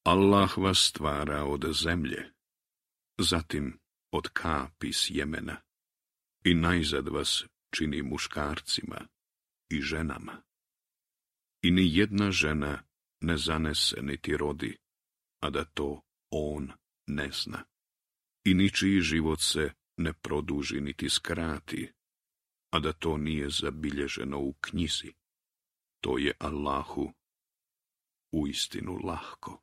Allah vas stvara od zemlje, zatim od kapi sjemena i najzad vas čini muškarcima i ženama. I ni jedna žena ne zanese niti rodi, a da to on ne zna. I ničiji život se ne produži niti skrati, a da to nije zabilježeno u knjizi. To je Allahu uistinu lahko.